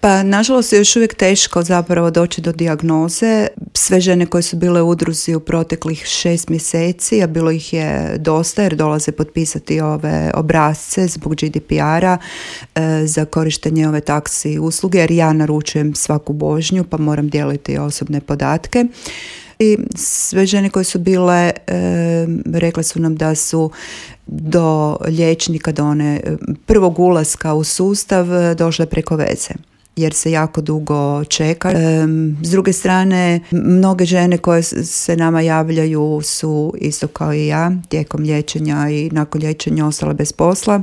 Pa nažalost je još uvijek teško zapravo doći do dijagnoze. Sve žene koje su bile u udruzi u proteklih 6 mjeseci, a bilo ih je dosta jer dolaze potpisati ove obrasce zbog GDPR-a za korištenje ove taksi usluge, jer ja naručujem svaku vožnju pa moram dijeliti osobne podatke. I sve žene koje su bile, rekle su nam da su do liječnika, do one prvog ulaska u sustav došle preko veze, jer se jako dugo čeka. S druge strane, mnoge žene koje se nama javljaju su isto kao i ja tijekom liječenja i nakon liječenja ostale bez posla.